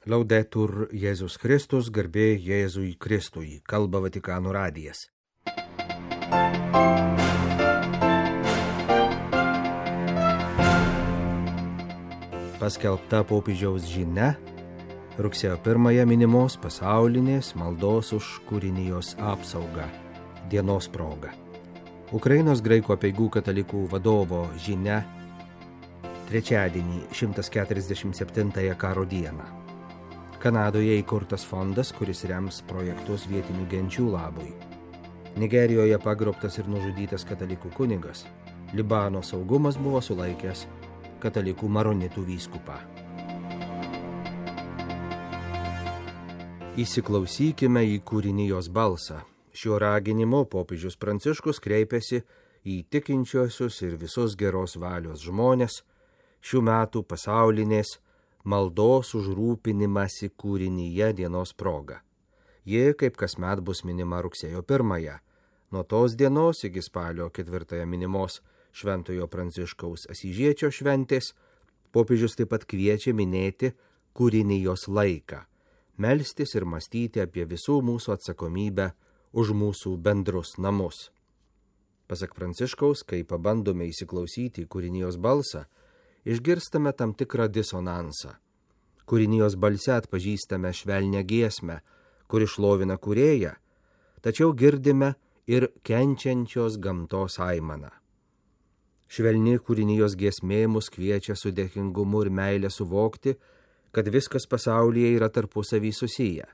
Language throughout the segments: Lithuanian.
Laudetur Jėzus Kristus, garbė Jėzui Kristui, kalba Vatikano radijas. Paskelbta popiežiaus žinia, rugsėjo 1 minimos pasaulinės maldos už kūrinijos apsaugą dienos proga. Ukrainos graikų apeigų katalikų vadovo žinia trečiadienį 147 karo dieną. Kanadoje įkurtas fondas, kuris rems projektus vietinių genčių labui. Nigerijoje pagrobtas ir nužudytas katalikų kunigas. Libano saugumas buvo sulaikęs katalikų maronitų vyskupą. Įsiklausykime į kūrinijos balsą. Šiuo raginimu popiežius Pranciškus kreipėsi į tikinčiuosius ir visus geros valios žmonės šių metų pasaulinės maldos už rūpinimąsi kūrinyje dienos proga. Ji, kaip kasmet, bus minima rugsėjo 1. Nuo tos dienos iki spalio 4 minimos Šventojo Pranciškaus Asyžiečio šventės, popiežius taip pat kviečia minėti kūrinijos laiką, melstis ir mąstyti apie visų mūsų atsakomybę už mūsų bendrus namus. Pasak Pranciškaus, kai pabandome įsiklausyti į kūrinijos balsą, išgirstame tam tikrą disonansą. Kūrinijos balse atpažįstame švelnią giesmę, kuri šlovina kūrėją, tačiau girdime ir kenčiančios gamtos aimaną. Švelni kūrinijos giesmė mus kviečia su dėkingumu ir meile suvokti, kad viskas pasaulyje yra tarpusavy susiję,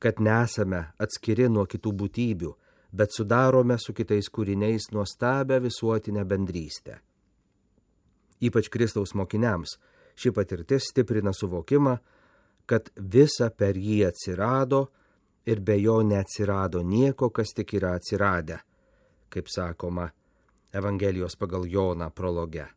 kad nesame atskiri nuo kitų būtybių, bet sudarome su kitais kūriniais nuostabią visuotinę bendrystę. Ypač Kristaus mokiniams ši patirtis stiprina suvokimą, kad visa per jį atsirado ir be jo neatsirado nieko, kas tik yra atsiradę, kaip sakoma Evangelijos pagal Joną prologe.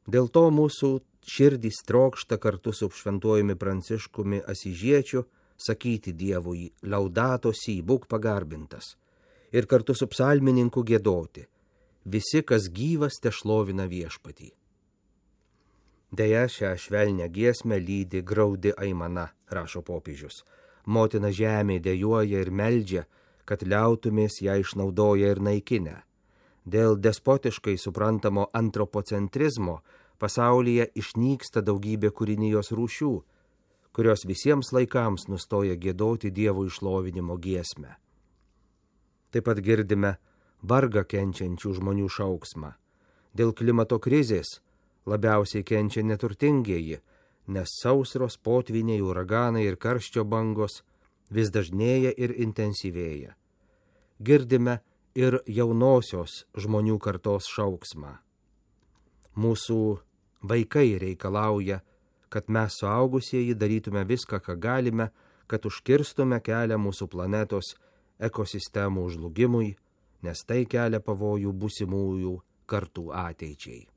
Dėl to mūsų širdys trokšta kartu su šventuojumi Pranciškumi Asyžiečiu sakyti Dievui Laudato si, būk pagarbintas, ir kartu su psalmininku giedoti: visi, kas gyvas, tešlovina viešpatį. Deja, šią švelnią giesmę lydi graudi aimana, rašo popiežius. Motina žemė dejuoja ir meldžia, kad liautumės ją išnaudoja ir naikinę. Dėl despotiškai suprantamo antropocentrizmo pasaulyje išnyksta daugybė kūrinijos rūšių, kurios visiems laikams nustoja giedoti Dievo išlovinimo giesmę. Taip pat girdime vargą kenčiančių žmonių šauksmą. Dėl klimato krizės labiausiai kenčia neturtingieji, nes sausros, potvyniai, uraganai ir karščio bangos vis dažnėja ir intensyvėja. Girdime ir jaunosios žmonių kartos šauksmą. Mūsų vaikai reikalauja, kad mes suaugusieji darytume viską, ką galime, kad užkirstume kelią mūsų planetos ekosistemų žlugimui, nes tai kelia pavojų būsimųjų kartų ateičiai.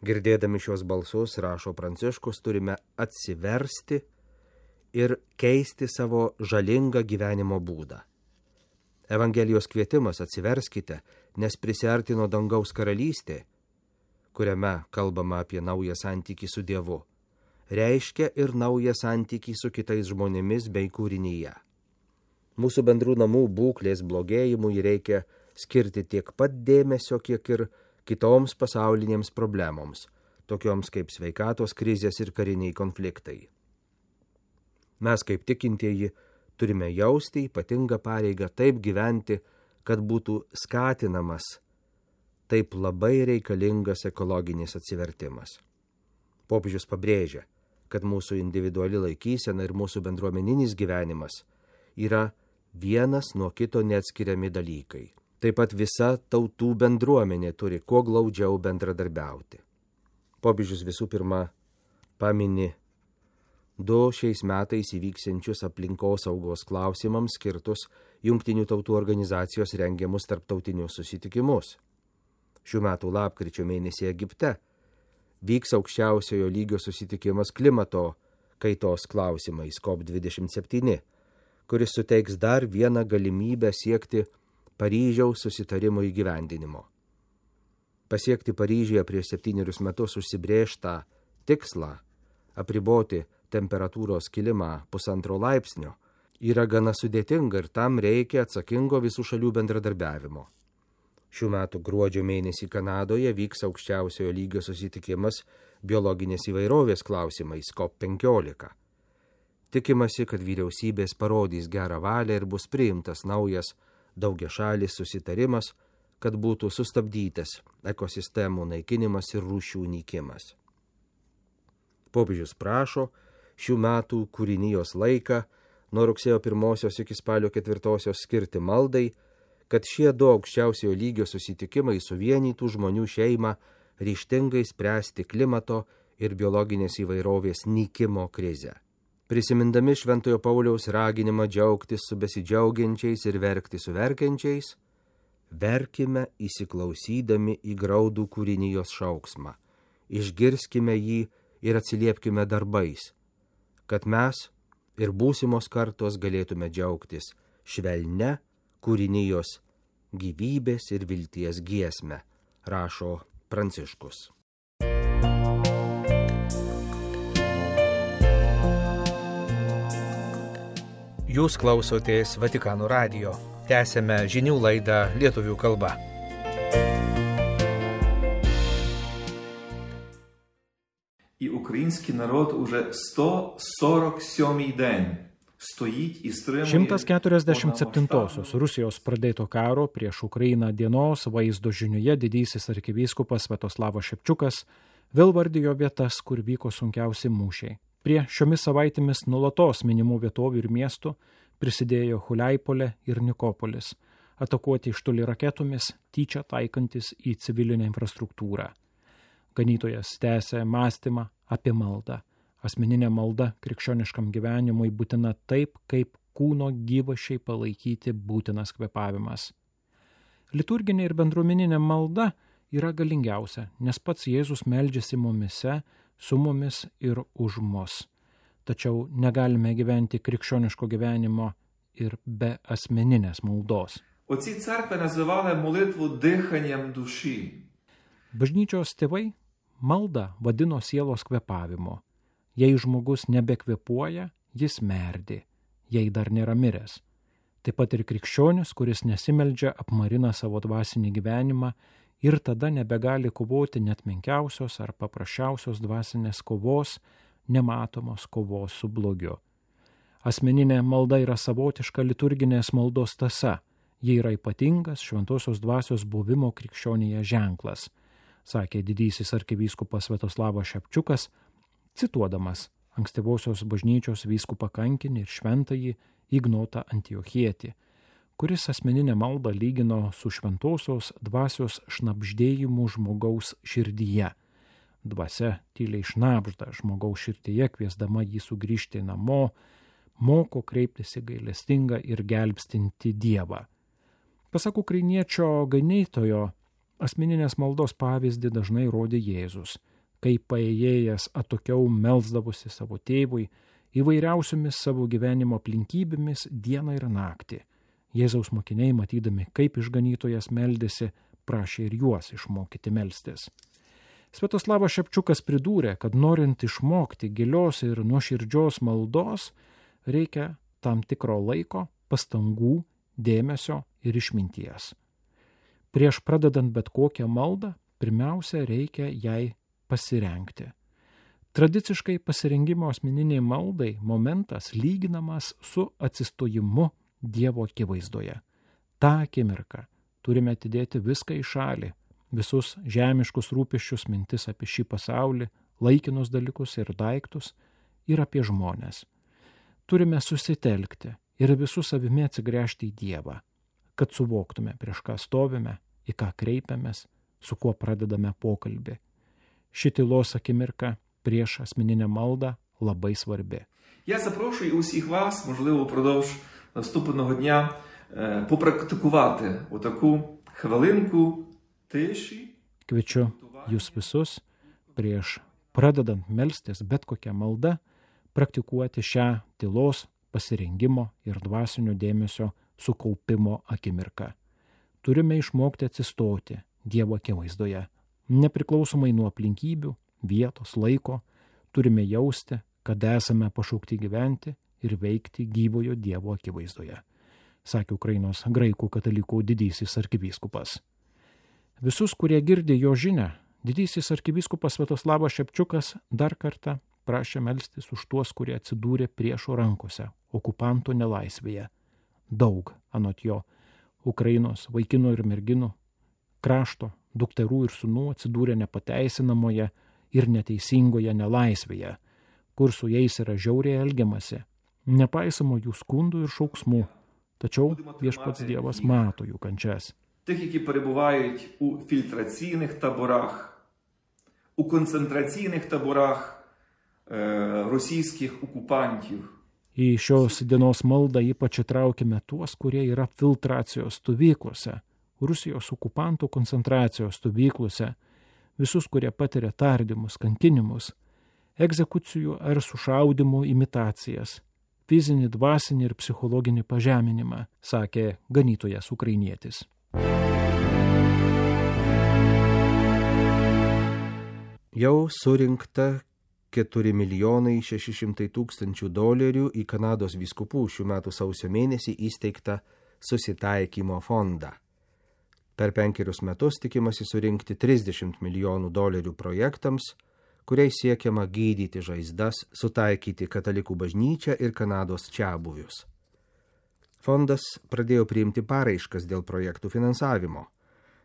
Girdėdami šios balsus, rašo Pranciškus, turime atsiversti ir keisti savo žalingą gyvenimo būdą. Evangelijos kvietimas atsiverskite, nes prisiartino dangaus karalystė, kuriame kalbama apie naują santykį su Dievu, reiškia ir naują santykį su kitais žmonėmis bei kūrinyje. Mūsų bendrų namų būklės blogėjimui reikia skirti tiek pat dėmesio, kiek ir kitoms pasaulinėms problemoms, tokioms kaip sveikatos krizės ir kariniai konfliktai. Mes kaip tikintieji turime jausti ypatingą pareigą taip gyventi, kad būtų skatinamas taip labai reikalingas ekologinis atsivertimas. Popiežius pabrėžia, kad mūsų individuali laikysena ir mūsų bendruomeninis gyvenimas yra vienas nuo kito neatskiriami dalykai. Taip pat visa tautų bendruomenė turi kuo glaudžiau bendradarbiauti. Popiežius visų pirma pamini 2 šiais metais įvyksiančius aplinkosaugos klausimams skirtus Jungtinių tautų organizacijos rengiamus tarptautinius susitikimus. Šių metų lapkričio mėnesį Egipte vyks aukščiausiojo lygio susitikimas klimato kaitos klausimais COP27, kuris suteiks dar vieną galimybę siekti Paryžiaus susitarimo įgyvendinimo. Pasiekti Paryžiuje prieš 7 metus užsibrėžtą tikslą Apriboti temperatūros kilimą 1,5 laipsnio yra gana sudėtinga ir tam reikia atsakingo visų šalių bendradarbiavimo. Šių metų gruodžio mėnesį Kanadoje vyks aukščiausiojo lygio susitikimas biologinės įvairovės klausimais COP15. Tikimasi, kad vyriausybės parodys gerą valią ir bus priimtas naujas daugiašalis susitarimas, kad būtų sustabdytas ekosistemų naikinimas ir rūšių nykimas. Popiežius prašo šių metų kūrinijos laiką nuo rugsėjo 1 iki spalio 4 skirti maldai, kad šie 2 aukščiausiojo lygio susitikimai suvienytų žmonių šeimą ryžtingai spręsti klimato ir biologinės įvairovės nykimo krizę. Prisimindami Šventojo Pauliaus raginimą džiaugtis su besidžiaugiančiais ir verkti su verkiančiais, verkime įsiklausydami į graudų kūrinijos šauksmą, išgirskime jį ir atsiliepkime darbais, kad mes ir būsimos kartos galėtume džiaugtis švelnia kūrinijos gyvybės ir vilties giesme, rašo Pranciškus. Jūs klausotės Vatikano radijo. Tęsėme žinių laidą lietuvių kalba. І український народ уже 147-й день стоїть і стримує 147-osios Rusijos pradėto karo prieš Ukrainą dienos vaizdo žinioje didysis arkivyskupas Sviatoslavas Šepčiukas vėl vardijo vietas, kur vyko sunkiausi mūšiai. Prie šiomis savaitėmis nulatos minimų vietovių ir miestų prisidėjo Huliaipolė ir Nikopolis, atakuoti iš toli raketomis, tyčia taikantis į civilinę infrastruktūrą. Ganytojas tęsė mąstymą apie maldą. Asmeninė malda krikščioniškam gyvenimui būtina taip, kaip kūno gyvašiai palaikyti būtinas kvėpavimas. Liturginė ir bendruomeninė malda yra galingiausia, nes pats Jėzus meldžiasi mumise, su mumis ir už mus. Tačiau negalime gyventi krikščioniško gyvenimo ir be asmeninės maldos. Оці церкви називали молитву диханням душі. Bažnyčios tėvai maldą vadino sielos kvėpavimu. Jei žmogus nebekvėpuoja, jis merdi, jei dar nėra miręs. Taip pat ir krikščionis, kuris nesimeldžia, apmarina savo dvasinį gyvenimą ir tada nebegali kovoti net menkiausios ar paprasčiausios dvasinės kovos, nematomos kovos su blogiu. Asmeninė malda yra savotiška liturginės maldos tąsa. Ji yra ypatingas šventosios dvasios buvimo krikščionėje ženklas, sakė didysis arkivyskupas Sviatoslavas Šepčiukas, cituodamas ankstyvosios bažnyčios vyskupą kankinį ir šventąjį Ignotą Antiochietį, kuris asmeninę maldą lygino su šventosios dvasios šnabždėjimu žmogaus širdyje. Dvasia tyliai šnabžda žmogaus širdyje, kviesdama jį sugrįžti namo, moko kreiptis į gailestingą ir gelbstinti Dievą. Pasak ukrainiečio ganytojo, asmeninės maldos pavyzdį dažnai rodė Jėzus, kai paėjėjęs atokiau melsdavosi savo tėvui įvairiausiomis savo gyvenimo aplinkybėmis dieną ir naktį. Jėzaus mokiniai, matydami, kaip išganytojas meldėsi, prašė ir juos išmokyti melstis. Sviatoslavas Šepčiukas pridūrė, kad norint išmokti gilios ir nuoširdžios maldos, reikia tam tikro laiko, pastangų, dėmesio ir išminties. Prieš pradedant bet kokią maldą, pirmiausia reikia jai pasirengti. Tradiciškai pasirengimo asmeniniai maldai momentas lyginamas su atsistojimu Dievo akivaizdoje. Ta akimirka turime atidėti viską į šalį, visus žemiškus rūpesčius, mintis apie šį pasaulį, laikinus dalykus ir daiktus ir apie žmones. Turime susitelkti ir visų savimi atsigręžti į Dievą, kad suvoktume, prieš ką stovime, į ką kreipiamės, su kuo pradedame pokalbį. Ši tylos akimirka prieš asmeninę maldą labai svarbi. Я запрошую усіх вас, можливо, впродовж наступного дня попрактикувати отаку хвилинку тиші. Kviečiu jūs visus prieš pradedant melstis bet kokią maldą praktikuoti šią tylos, pasirengimo ir dvasinio dėmesio sukaupimo akimirką. Turime išmokti atsistoti Dievo akivaizdoje, nepriklausomai nuo aplinkybių, vietos, laiko, turime jausti, kad esame pašaukti gyventi ir veikti gyvojo Dievo akivaizdoje, sakė Ukrainos graikų katalikų didysis arkivyskupas. Visus, kurie girdi jo žinią, didysis arkivyskupas Sviatoslavas Šepčiukas dar kartą prašė melstis už tuos, kurie atsidūrė priešo rankose, okupanto nelaisvėje. Daug, anot jo, Ukrainos vaikinų ir merginų, krašto, dukterų ir sūnų atsidūrė nepateisinamoje ir neteisingoje nelaisvėje, kur su jais yra žiauriai elgiamasi, nepaisoma jų skundų ir šauksmų, tačiau Viešpats Dievas mato jų kančias. Тих, які перебувають у фільтраційних таборах, у концентраційних таборах російських окупантів. Į šios dienos maldą ypač įtraukime tuos, kurie yra filtracijos stovyklose, Rusijos okupantų koncentracijos stovyklose, visus, kurie patiria tardymus, kankinimus, egzekucijų ar sušaudimų imitacijas, fizinį, dvasinį ir psichologinį pažeminimą, sakė ganytojas ukrainietis. Jau surinkta $4 600 000 į Kanados vyskupų šių metų sausio mėnesį įsteigtą susitaikymo fondą. Per 5 metus tikimasi surinkti $30 milijonų projektams, kuriais siekiama gydyti žaizdas, sutaikyti katalikų bažnyčią ir Kanados čiabuvius. Fondas pradėjo priimti paraiškas dėl projektų finansavimo.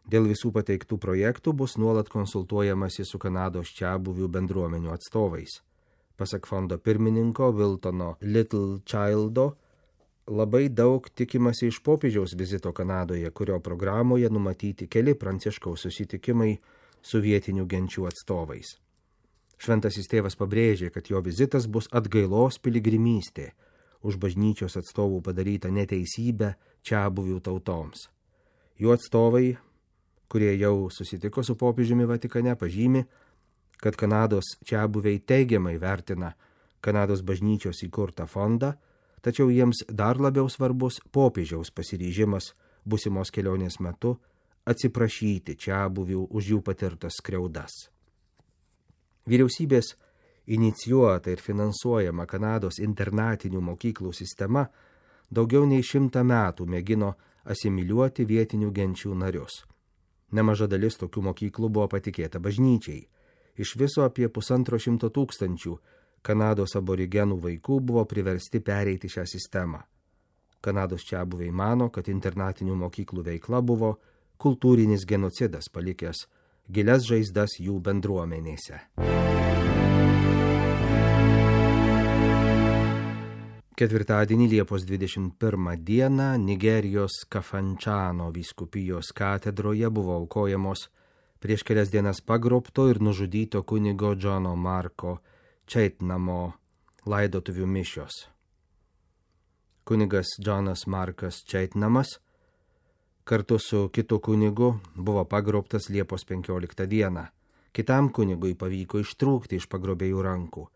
Dėl visų pateiktų projektų bus nuolat konsultuojamasi su Kanados čiabuvių bendruomenių atstovais. Pasak fondo pirmininko Wiltono Littlechildo, labai daug tikimasi iš popiežiaus vizito Kanadoje, kurio programoje numatyti keli Pranciškaus susitikimai su vietinių genčių atstovais. Šventasis tėvas pabrėžė, kad jo vizitas bus atgailos piligrimystė už bažnyčios atstovų padarytą neteisybę čiabuvių tautoms. Jų atstovai, kurie jau susitiko su popiežiumi Vatikane, pažymi, kad Kanados čiabuviai teigiamai vertina Kanados bažnyčios įkurtą fondą, tačiau jiems dar labiau svarbus popiežiaus pasiryžimas būsimos kelionės metu atsiprašyti čiabuvių už jų patirtas skriaudas. Vyriausybės inicijuota ir finansuojama Kanados internatinių mokyklų sistema daugiau nei 100 metų mėgino asimiliuoti vietinių genčių narius. Nemaža dalis tokių mokyklų buvo patikėta bažnyčiai. Iš viso apie 150 000 Kanados aborigenų vaikų buvo priversti pereiti šią sistemą. Kanados čiabuviai mano, kad internatinių mokyklų veikla buvo kultūrinis genocidas, palikęs gilias žaizdas jų bendruomenėse. Ketvirtadienį Liepos 21 dieną Nigerijos Kafančano vyskupijos katedroje buvo aukojamos prieš kelias dienas pagrobto ir nužudyto kunigo Džono Marko Čeitnamo laidotuvių mišios. Kunigas Džonas Markas Čeitnamas kartu su kitu kunigu buvo pagrobtas Liepos 15 dieną. Kitam kunigui pavyko ištrūkti iš pagrobėjų rankų,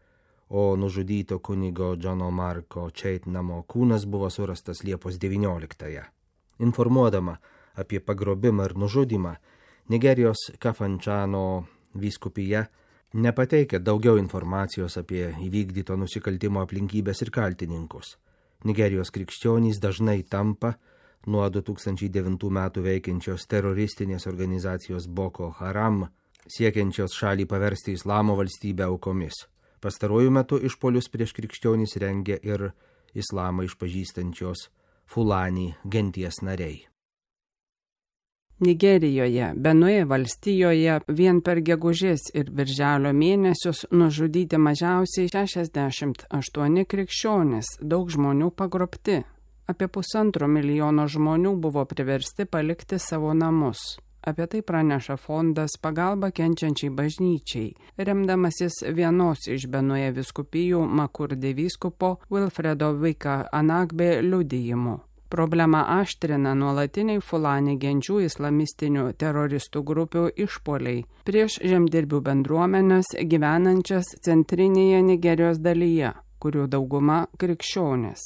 o nužudyto kunigo Džono Marko Čeitnamo kūnas buvo surastas Liepos 19. Informuodama apie pagrobimą ir nužudymą, Nigerijos Kafančano vyskupija nepateikė daugiau informacijos apie įvykdyto nusikaltimo aplinkybės ir kaltininkus. Nigerijos krikščionys dažnai tampa nuo 2009 metų veikiančios teroristinės organizacijos Boko Haram, siekiančios šalį paversti islamo valstybę aukomis. Pastaruoju metu išpolius prieš krikščionys rengia ir islamą išpažįstančios Fulani genties nariai. Nigerijoje, Benue valstijoje vien per gegužės ir birželio mėnesius nužudyti mažiausiai 68 krikščionys, daug žmonių pagrobti. Apie 1,5 milijono žmonių buvo priversti palikti savo namus. Apie tai praneša fondas Pagalba kenčiančiai bažnyčiai, remdamasis vienos iš Benue vyskupijų Makurde vyskupo Wilfredo Vika Anagbe liudijimu. Problemą aštrina nuolatiniai Fulani genčių islamistinių teroristų grupių išpoliai prieš žemdirbių bendruomenės gyvenančias centrinėje Nigerijos dalyje, kurių dauguma krikščionys.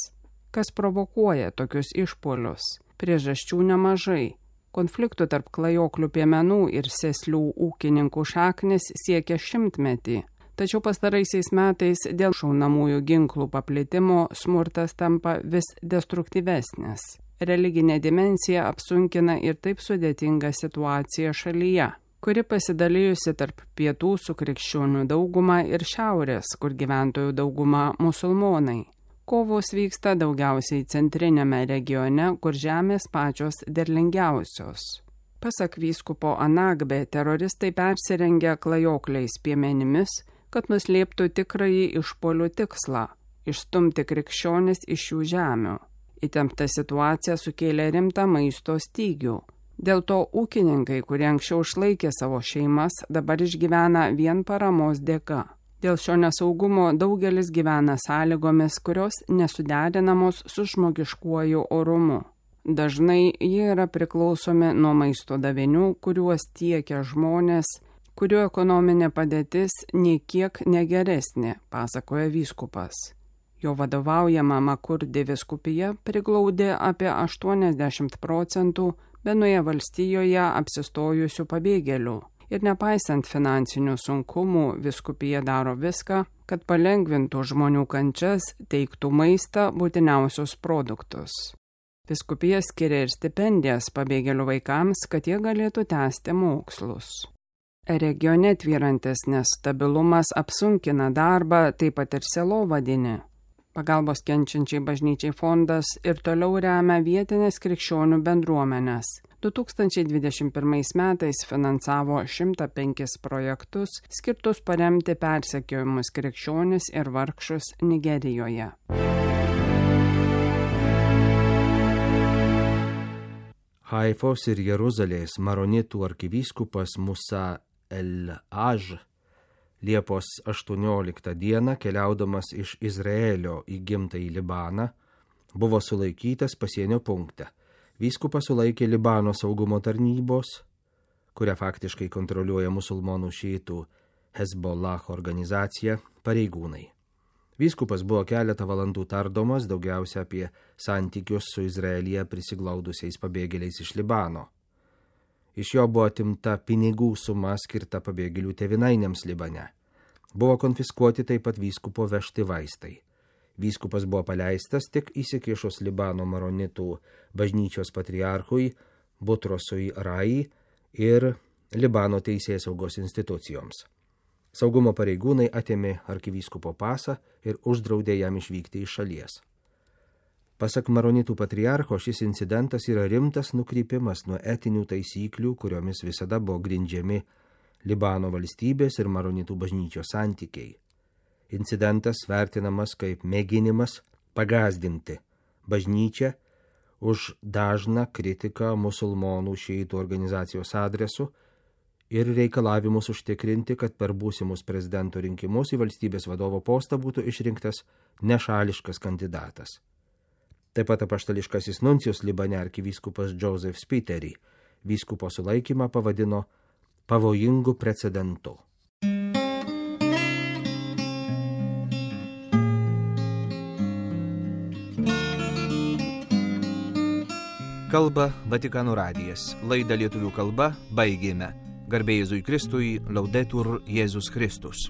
Kas provokuoja tokius išpolius? Priežasčių nemažai. Konfliktų tarp klajoklių piemenų ir sėslių ūkininkų šaknis siekia 100-metį. Tačiau pastaraisiais metais dėl šaunamųjų ginklų paplitimo smurtas tampa vis destruktyvesnis. Religinė dimensija apsunkina ir taip sudėtingą situaciją šalyje, kuri pasidalijusi tarp pietų su krikščionių dauguma ir šiaurės, kur gyventojų dauguma musulmonai. Kovos vyksta daugiausiai centrinėme regione, kur žemės pačios derlingiausios. Pasak vyskupo Anagbe, teroristai persirengia klajokliais piemenimis, kad nuslėptų tikrąjį išpuolių tikslą – išstumti krikščionis iš jų žemių. Įtempta situacija sukėlė rimtą maisto stygių. Dėl to ūkininkai, kurie anksčiau išlaikė savo šeimas, dabar išgyvena vien paramos dėka. Dėl šio nesaugumo daugelis gyvena sąlygomis, kurios nesuderinamos su žmogiškuoju orumu. Dažnai jie yra priklausomi nuo maisto davinių, kuriuos tiekia žmonės, kurių ekonominė padėtis niekiek negeresnė, pasakoja vyskupas. Jo vadovaujama Makurdi vyskupija priglaudė apie 80% Benoje valstijoje apsistojusių pabėgėlių. Ir nepaisant finansinių sunkumų, vyskupija daro viską, kad palengvintų žmonių kančias, teiktų maistą, būtiniausius produktus. Vyskupija skiria ir stipendijas pabėgėlių vaikams, kad jie galėtų tęsti mokslus. Regione tvyrantis nestabilumas apsunkina darbą, taip pat ir sielovadinį. Pagalbos kenčiančiai bažnyčiai fondas ir toliau remia vietinės krikščionių bendruomenės. 2021 metais finansavo 105 projektus, skirtus paremti persekiojimus krikščionis ir vargšus Nigerijoje. Haifos ir Jeruzalės maronitų arkivyskupas Musa el-Aj Liepos 18 dieną, keliaudamas iš Izraelio į gimtąjį Libaną, buvo sulaikytas pasienio punkte. Vyskupas sulaikė Libano saugumo tarnybos, kurią faktiškai kontroliuoja musulmonų šiitų Hezbollah organizacija, pareigūnai. Vyskupas buvo keletą valandų tardomas, daugiausia apie santykius su Izraelyje prisiglaudusiais pabėgėliais iš Libano. Iš jo buvo atimta pinigų suma skirta pabėgėlių tėvynainiams Libane. Buvo konfiskuoti taip pat vyskupo vežti vaistai. Vyskupas buvo paleistas tik įsikišus Libano maronitų bažnyčios patriarchui Butrosui Rai ir Libano teisėsaugos institucijoms. Saugumo pareigūnai atėmė arkivyskupo pasą ir uždraudė jam išvykti iš šalies. Pasak maronitų patriarcho, šis incidentas yra rimtas nukrypimas nuo etinių taisyklių, kuriomis visada buvo grindžiami Libano valstybės ir maronitų bažnyčios santykiai. Incidentas vertinamas kaip mėginimas pagąsdinti bažnyčią už dažną kritiką musulmonų šiitų organizacijos adresu ir reikalavimus užtikrinti, kad per būsimus prezidento rinkimus į valstybės vadovo postą būtų išrinktas nešališkas kandidatas. Taip pat apaštališkasis nuncijus Libane arkivyskupas Joseph Spiteri vyskupo sulaikymą pavadino pavojingu precedentu. Kalba Vatikano radijas. Laidą lietuvių kalba baigėme. Garbė Jėzui Kristui, Laudetur Jėzus Kristus.